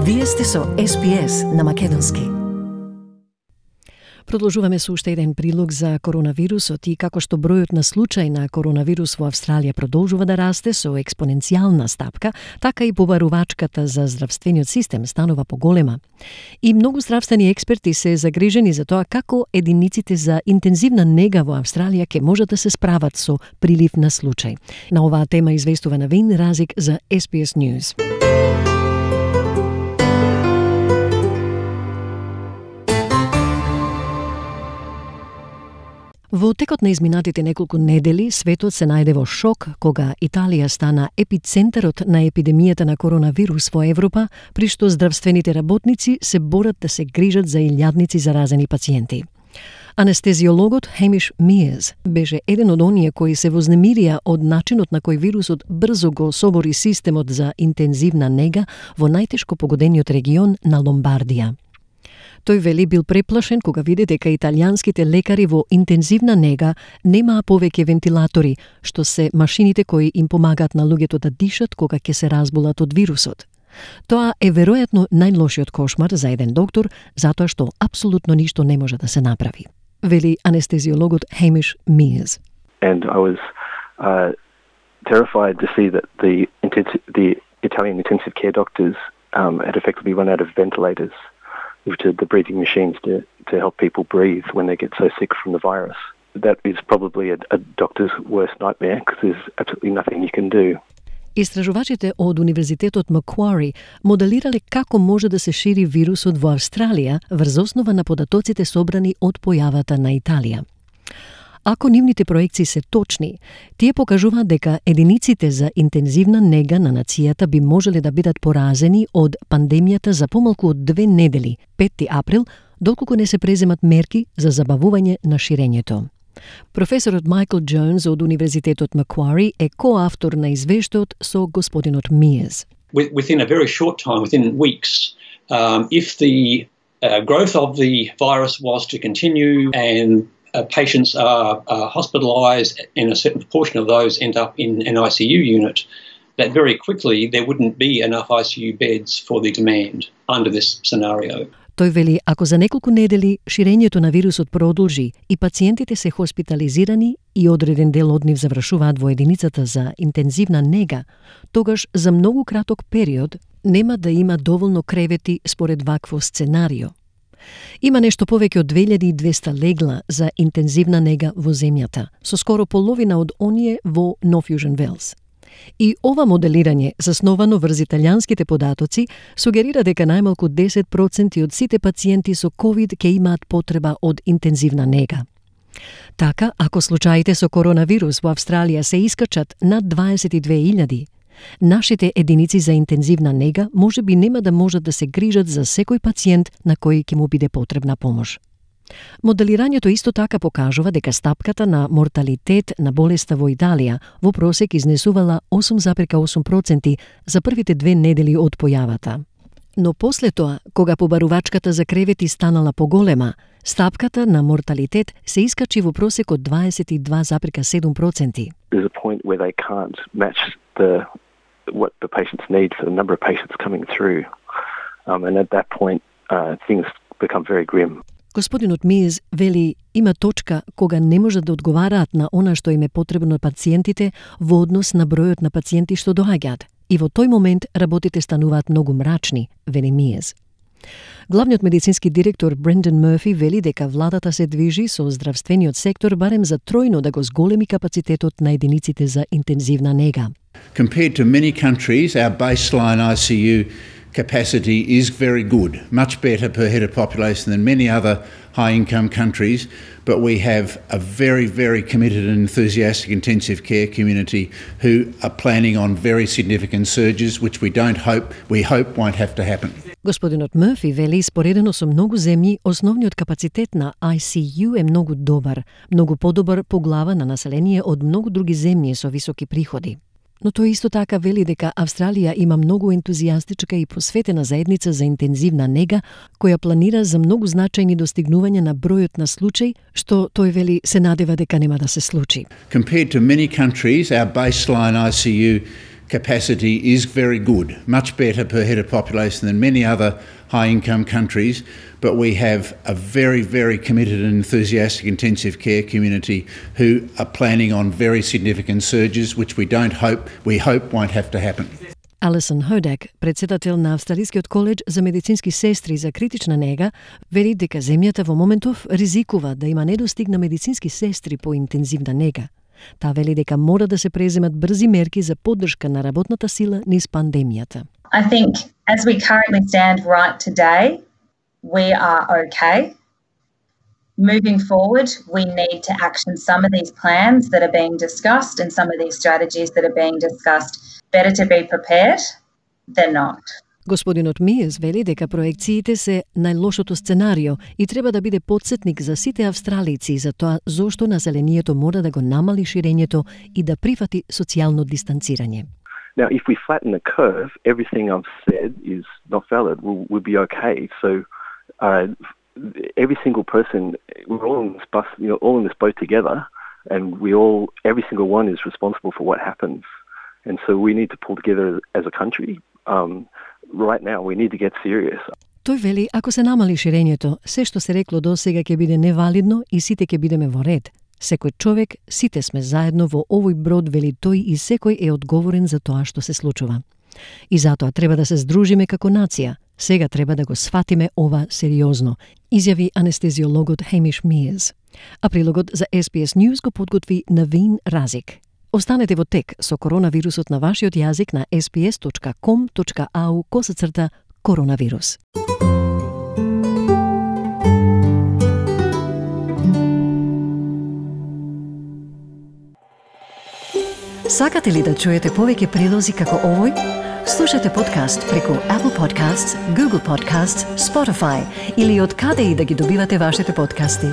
Вие сте со SPS на Македонски. Продолжуваме со уште еден прилог за коронавирусот и како што бројот на случаи на коронавирус во Австралија продолжува да расте со експоненцијална стапка, така и побарувачката за здравствениот систем станува поголема. И многу здравствени експерти се загрижени за тоа како единиците за интензивна нега во Австралија ќе можат да се справат со прилив на случаи. На оваа тема известува Навин Разик за SPS News. Во текот на изминатите неколку недели, светот се најде во шок кога Италија стана епицентарот на епидемијата на коронавирус во Европа, при што здравствените работници се борат да се грижат за илјадници заразени пациенти. Анестезиологот Хемиш Миерс беше еден од оние кои се вознемирија од начинот на кој вирусот брзо го собори системот за интензивна нега во најтешко погодениот регион на Ломбардија. Тој вели бил преплашен кога види дека италијанските лекари во интензивна нега немаа повеќе вентилатори, што се машините кои им помагаат на луѓето да дишат кога ќе се разболат од вирусот. Тоа е веројатно најлошиот кошмар за еден доктор, затоа што апсолутно ништо не може да се направи, вели анестезиологот Хемиш Миерс. And I was terrified to see that the Italian intensive care doctors had effectively run out of ventilators, which are the breathing machines to help people breathe when they get so sick from the virus. That is probably a doctor's worst nightmare because there's absolutely nothing you can do. Истражувачите од Универзитетот Маквари моделирале како може да се шири вирусот во Австралија врз основа на податоците собрани од појавата на Италија. Ако нивните проекции се точни, тие покажуваат дека единиците за интензивна нега на нацијата би можеле да бидат поразени од пандемијата за помалку од 2 недели, 5 април, доколку не се преземат мерки за забавување на ширењето. Професорот Майкл Джонс од Универзитетот Маквари е коавтор на извештајот со господинот Миерс. Within a very short time, within weeks, if the growth of the virus was to continue and patients are hospitalised and a certain proportion of those end up in an ICU unit, that very quickly there wouldn't be enough ICU beds for the demand under this scenario. Тој вели, ако за неколку недели ширењето на вирусот продолжи и пациентите се хоспитализирани и одреден дел од нив завршуваат во единицата за интензивна нега, тогаш за многу краток период нема да има доволно кревети според вакво сценарио. Има нешто повеќе од 2200 легла за интензивна нега во земјата, со скоро половина од оние во North Fusion Wales. И ова моделирање, засновано врз италијанските податоци, сугерира дека најмалку 10% од сите пациенти со COVID ќе имаат потреба од интензивна нега. Така, ако случаите со коронавирус во Австралија се искачат над 22.000, нашите единици за интензивна нега може би нема да можат да се грижат за секој пациент на кој ќе му биде потребна помош. Моделирањето исто така покажува дека стапката на морталитет на болеста во Италија во просек изнесувала 8,8% за првите 2 недели од појавата. Но после тоа, кога побарувачката за кревети станала поголема, стапката на морталитет се искачи во просек од 22,7%. There's a point where they can't match what the patients need for the number of patients coming through. And at that point, things become very grim. Господинот Миерс вели, има точка кога не можат да одговараат на она што им е потребно на пациентите во однос на бројот на пациенти што доаѓаат. И во тој момент работите стануваат многу мрачни, вели Миерс. Главниот медицински директор Брендан Мърфи вели дека владата се движи со здравствениот сектор барем за тројно да го зголеми капацитетот на единиците за интензивна нега. Compared to many countries, our baseline ICU capacity is very good, much better per head of population than many other high-income countries, but we have a very, very committed and enthusiastic intensive care community who are planning on very significant surges, which we hope won't have to happen. Господинот Мърфи вели, споредено со многу земји, основниот капацитет на ICU е многу добар, многу подобар по глава на население од многу други земји со високи приходи. Но тој исто така вели дека Австралија има многу ентузијастичка и посветена заедница за интензивна нега, која планира за многу значајни достигнувања на бројот на случаи, што тој вели се надева дека нема да се случи. Compared to many countries, our baseline ICU capacity is very good, much better per head of population than many other high-income countries, but we have a very, very committed and enthusiastic intensive care community who are planning on very significant surges, which we hope won't have to happen. Alison Hodak, председател на Австралискиот коледж за медицински сестри за критична нега, вели дека земјата во моментов ризикува да има недостиг на медицински сестри по интензивна нега. Таа вели дека мора да се преземат брзи мерки за поддршка на работната сила низ пандемијата. I think as we currently stand right today, we are okay. Moving forward, we need to action some of these plans that are being discussed and some of these strategies that are being discussed. Better to be prepared than not. Господинот Мијес вели дека проекциите се најлошото сценарио и треба да биде потсетник за сите австралици за тоа зошто населението мора да го намали ширењето и да прифати социјално дистанцирање. Now, if we flatten the curve, everything I've said is not valid. We'll be okay. So, every single person, we're all in this bus, all in this boat together, and every single one is responsible for what happens. And so we need to pull together as a country. Right now, we need to get serious. Тој вели, ако се намали ширењето, се што се рекло досега ќе биде невалидно и сите ќе бидеме во ред. Секој човек, сите сме заедно во овој брод, вели тој, и секој е одговорен за тоа што се случува. И затоа треба да се здружиме како нација. Сега треба да го сватиме ова сериозно, изјави анестезиологот Хемиш Мијес. А прилогот за SBS News го подготви Навин Разик. Останете во тек со коронавирусот на вашиот јазик на sbs.com.au/коронавирус. Сакате ли да чуете повеќе прилози како овој? Слушате подкаст преку Apple Podcasts, Google Podcasts, Spotify или од каде и да ги добивате вашите подкасти.